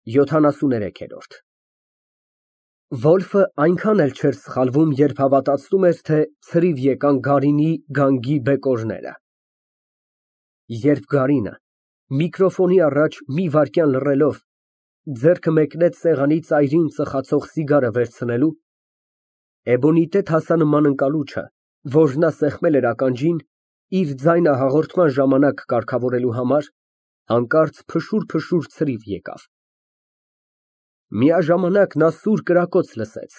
73-րդ Վոլֆը այնքան էլ չէր սխալվում, երբ հավատացնում էր, թե ցրիվ եկան Գարինի գանգի բեկորները։ Երբ Գարինը, միկրոֆոնի առաջ մի վայրկյան լռելով, ձեռքը մեկնեց սեղանի ծայրին ծխացող սիգարը վերցնելու, էբոնիտետ հասանման ընկալուչը, որ նա սեղմել էր ականջին, իր ձայնը հաղորդման ժամանակ կարգավորելու համար, հանկարծ փշուր ցրիվ եկավ։ Միաժամանակ նա սուր կրակոց լսեց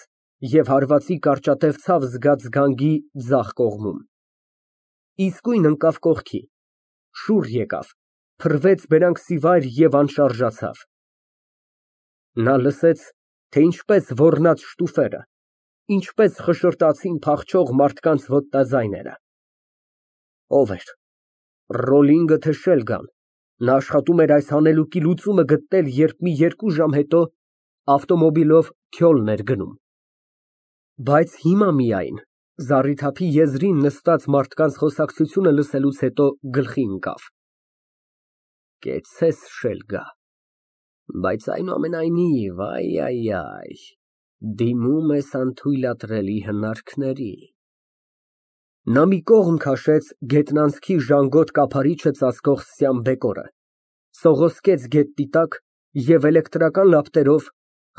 և հարվածի կարճատև ցավ զգաց գանգի ձախ կողմում։ Իսկույն ընկավ կողքի, շուռ եկավ, փռվեց բերանքսի վայր և անշարժացավ։ Նա լսեց, թե ինչպես ոռնաց շտուֆերը, ինչպես խշշտացին փախչող մարդկանց ոտնաձայները։ Ո՞վ էր։ Ռոլլինգը թե Շելգան։ Նա աշխատում էր այս հանելուկի լուծումը գտնել, երբ մի 2 ժամ հետո ավտոմոբիլով Քյոլն էր գնում։ Բայց հիմա միայն զառիթափի եզրին նստած մարդկանց խոսակցությունը լսելուց հետո գլխի ընկավ. Կեցցես, Շելգա, բայց այնուամենայնիվ, դիմում ես անթույլատրելի հնարքների։ Նա մի կողմ քաշեց գետնանցքի ժանգոտ կափարիչը ծածկող սյան բեկորը, սողոսկեց գետնի տակ և էլեկտրական լապտերով,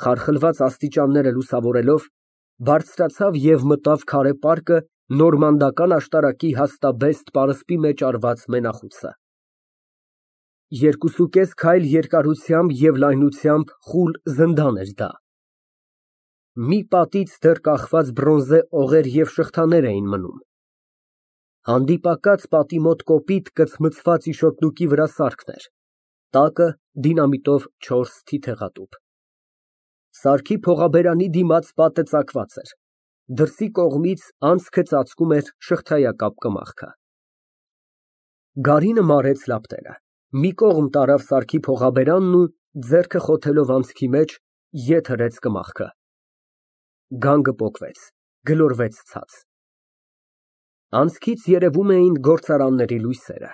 խարխլված աստիճանները լուսավորելով, բարձրացավ և մտավ քարե պարկը նորմանդական աշտարակի հաստաբեստ պարսպի մեջ արված մենախույսը։ 2.5 քայլ երկարությամբ և լայնությամբ խուլ զնդան էր դա։ Մի պատից դեռ կախված բրոնզե օղեր և շղթաներ էին մնում։ Հանդիպակաց պատի մոտ կոպիտ կծմծված իշոտնուկի վրա սարքն էր, տակը դինամիտով 4 թիթեղատուփ։ Սարքի փողաբերանի դիմաց պատը ծակված էր, դրսի կողմից անցքը ծածկում էր շղթայակապ կմախքը։ Գարինը մարեց լապտերը, մի կողմ տարավ սարքի փողաբերանն ու, ձեռքը խոթելով անցքի մեջ, ետ հրեց կմախքը։ Գանգը պոկվեց, գլորվեց ցած։ Անցքից երևում էին գործարանների լույսերը։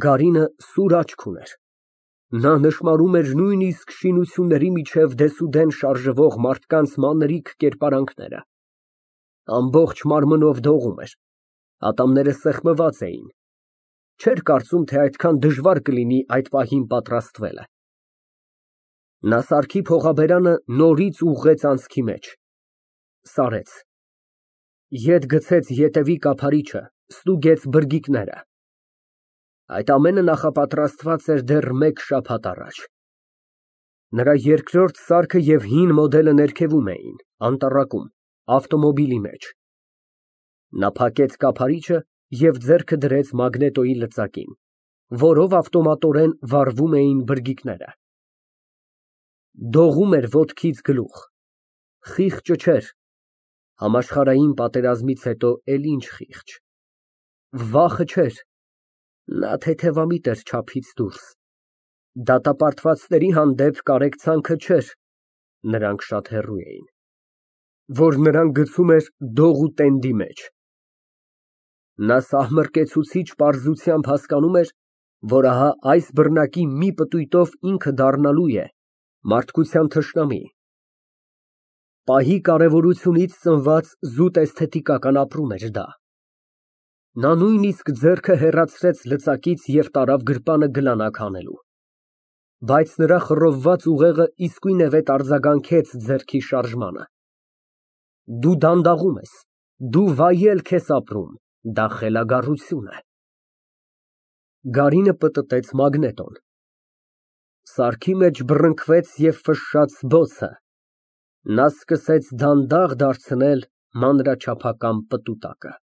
Գարինը սուր աչք ուներ։ Նա նշմարում էր նույնիսկ շինությունների միջև դեսուդեն շարժվող մարդկանց մանրիկ կերպարանքները։ Ամբողջ մարմնով դողում էր, ատամները սեղմված էին։ Չէր կարծում, թե այդքան դժվար կլինի այդ պահին պատրաստվելը։ Նա սարքի փողաբերանը նորից ուղղեց անցքի մեջ, սարեց, ետ գցեց ետևի կափարիչը, ստուգեց բրգիկները։ Այդ ամենը նախապատրաստված էր դեռ 1 շաբաթ առաջ։ Նրա երկրորդ սարքը և հին մոդելը ներքևում էին, անտառակում, ավտոմոբիլի մեջ։ Նա փակեց կափարիչը և ձեռքը դրեց մագնետոյի լծակին, որով ավտոմատորեն վառվում էին բրգիկները։ Դողում էր ոտքից գլուխ։ Խիղճը չէր, համաշխարհային պատերազմից հետո էլ ինչ խիղճ։ Վախը չէր, նա թեթևամիտ էր չափից դուրս։ Դատապարտվածների հանդեպ կարեկցանքը չէր, նրանք շատ հեռու էին, որ նրան գցում էր դող ու տենդի մեջ։ Նա սահմռկեցուցիչ պարզությամբ հասկանում էր, որ ահա այս բռնակի մի պտույտով ինքը դառնալու է մարդկության թշնամի։ Պահի կարևորությունից ծնված զուտ էսթետիկական ապրում էր դա։ Նա նույնիսկ ձեռքը հեռացրեց լծակից և տարավ գրպանը գլանակ հանելու։ Բայց նրա խռովված ուղեղը իսկույնևեթ արձագանքեց ձեռքի շարժմանը։ Դու դանդաղում ես, դու վայելք ես ապրում, դա խելագարություն է։ Գարինը պտտեց մագնետոն։ Սարքի մեջ բռնկվեց և ֆշշաց բոցը։ Նա սկսեց դանդաղ դարձնել մանրաչափական պտուտակը։